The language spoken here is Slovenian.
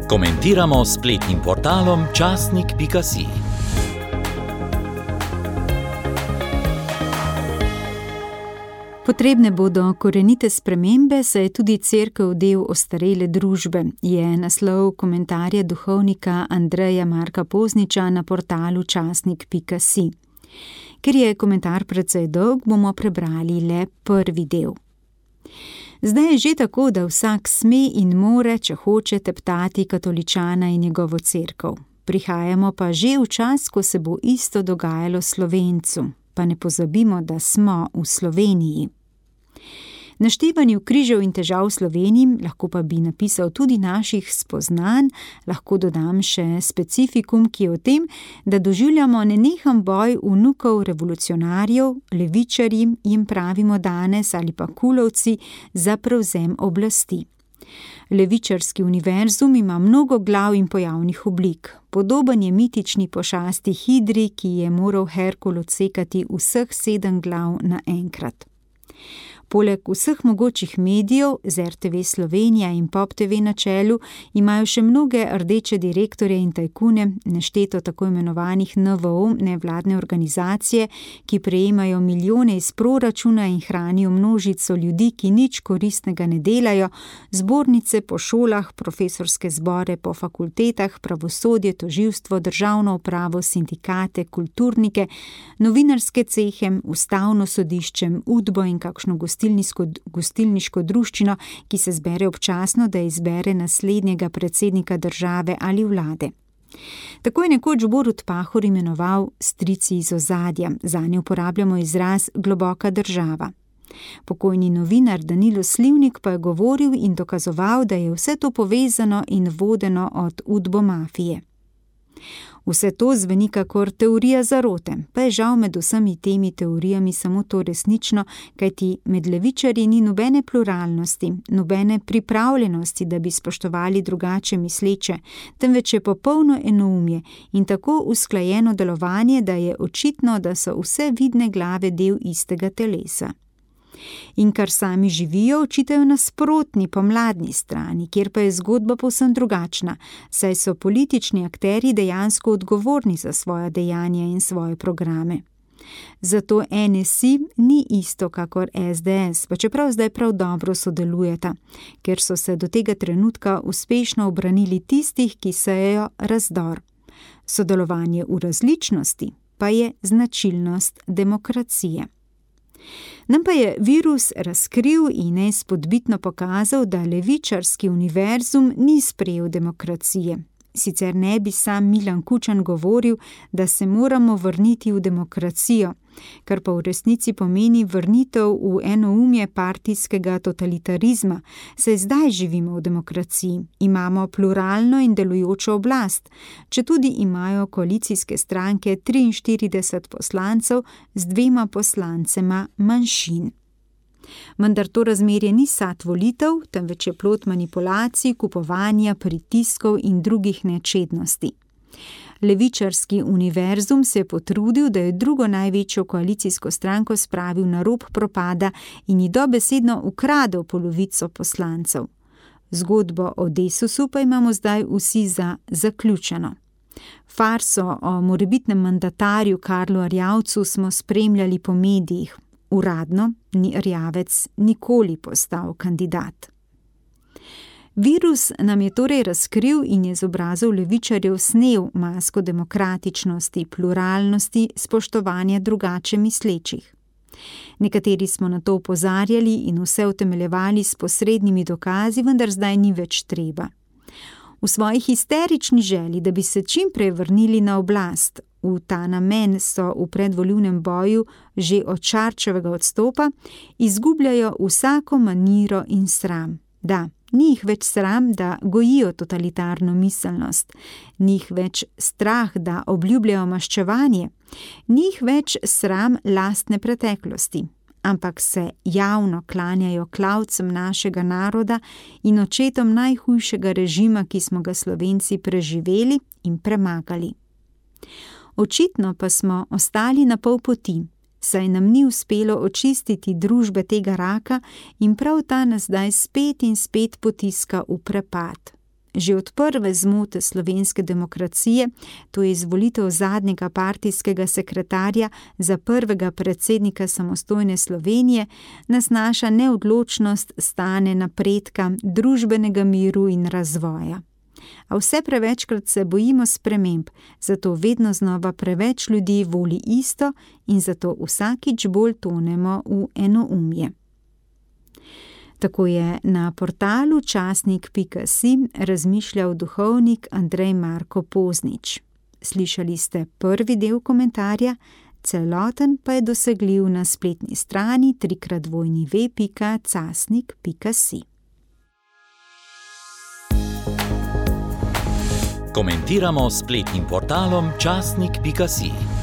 Komentiramo s spletnim portalom časnik.si. Potrebne bodo korenite spremembe, saj je tudi cerkev del ostarele družbe, je naslov komentarja duhovnika Andreja Marka Pozniča na portalu časnik.si. Ker je komentar precej dolg, bomo prebrali le prvi del. Zdaj je že tako, da vsak sme in more, če hoče, teptati katoličana in njegovo cerkev. Prihajamo pa že v čas, ko se bo isto dogajalo Slovencu. Pa ne pozabimo, da smo v Sloveniji. Naštevanju križev in težav v Sloveniji, lahko pa bi napisal tudi naših spoznanj, lahko dodam še specifikum, ki je o tem, da doživljamo nenehen boj vnukov revolucionarjev, levičarji jim pravimo danes ali pa kulovci, za prevzem oblasti. Levičarski univerzum ima mnogo glav in pojavnih oblik. Podoben je mitični pošasti hidri, ki je moral Herkul odsekati vseh 7 glav naenkrat. Poleg vseh mogočih medijev, z RTV Slovenija in Pop TV na čelu, imajo še mnoge rdeče direktorje in tajkune, nešteto tako imenovanih NVO, nevladne organizacije, ki prejemajo milijone iz proračuna in hranijo množico ljudi, ki nič koristnega ne delajo, zbornice po šolah, profesorske zbore po fakultetah, pravosodje, tožilstvo, državno upravo, sindikate, kulturnike, novinarske cehe, ustavno sodišče, Udbo in kakšno gostilniško druščino, ki se zbere občasno, da izbere naslednjega predsednika države ali vlade. Tako je nekoč Borut Pahor imenoval strici iz ozadja, zanje uporabljamo izraz globoka država. Pokojni novinar Danilo Slivnik pa je govoril in dokazoval, da je vse to povezano in vodeno od Udbo mafije. Vse to zveni kakor teorija zarote, pa je žal med vsemi temi teorijami samo to resnično, kajti med levičarji ni nobene pluralnosti, nobene pripravljenosti, da bi spoštovali drugače misleče, temveč je popolno enoumje in tako usklajeno delovanje, da je očitno, da so vse vidne glave del istega telesa. In kar sami živijo, očitajo nasprotni pomladni strani, kjer pa je zgodba povsem drugačna, saj so politični akterji dejansko odgovorni za svoja dejanja in svoje programe. Zato NSI ni isto kakor SDS, pa čeprav zdaj prav dobro sodelujeta, ker so se do tega trenutka uspešno obranili tistih, ki sejejo razdor. Sodelovanje v različnosti pa je značilnost demokracije. Nam pa je virus razkril in neizpodbitno pokazal, da levičarski univerzum ni sprejel demokracije. Sicer ne bi sam Milan Kučan govoril, da se moramo vrniti v demokracijo, kar pa v resnici pomeni vrnitev v enoumje partijskega totalitarizma, saj zdaj živimo v demokraciji, imamo pluralno in delujočo oblast, četudi imajo koalicijske stranke 43 poslancev z 2 poslancema manjšin. Vendar to razmerje ni sad volitev, temveč je plod manipulacij, kupovanja, pritiskov in drugih nečednosti. Levičarski univerzum se je potrudil, da je drugo največjo koalicijsko stranko spravil na rob propada in ji dobesedno ukradel polovico poslancev. Zgodbo o Desusu pa imamo zdaj vsi za zaključeno. Farso o morebitnem mandatarju Karlu Erjavcu smo spremljali po medijih. Uradno ni Erjavec nikoli postal kandidat. Virus nam je torej razkril in je z obrazov levičarjev snel masko demokratičnosti, pluralnosti, spoštovanja drugače mislečih. Nekateri smo na to opozarjali in vse utemeljevali s posrednimi dokazi, vendar zdaj ni več treba. V svoji histerični želji, da bi se čim prej vrnili na oblast, v ta namen so v predvolilnem boju že od Šarčevega odstopa, izgubljajo vsako maniro in sram. Da, ni jih več sram, da gojijo totalitarno miselnost, ni jih več strah, da obljubljajo maščevanje, ni jih več sram lastne preteklosti, ampak se javno klanjajo klavcem našega naroda in očetom najhujšega režima, ki smo ga Slovenci preživeli in premagali. Očitno pa smo ostali na pol poti, saj nam ni uspelo očistiti družbe tega raka in prav ta nas zdaj spet in spet potiska v prepad. Že od prve zmote slovenske demokracije, to je izvolitev zadnjega partijskega sekretarja za prvega predsednika samostojne Slovenije, nas naša neodločnost stane napredka, družbenega miru in razvoja. A vse prevečkrat se bojimo sprememb, zato vedno znova preveč ljudi voli isto in zato vsakič bolj tonemo v enoumje. Tako je na portalu časnik.si razmišljal duhovnik Andrej Marko Poznič. Slišali ste prvi del komentarja, celoten pa je dosegljiv na spletni strani www.casnik.si. Komentiramo s spletnim portalom časnik.si.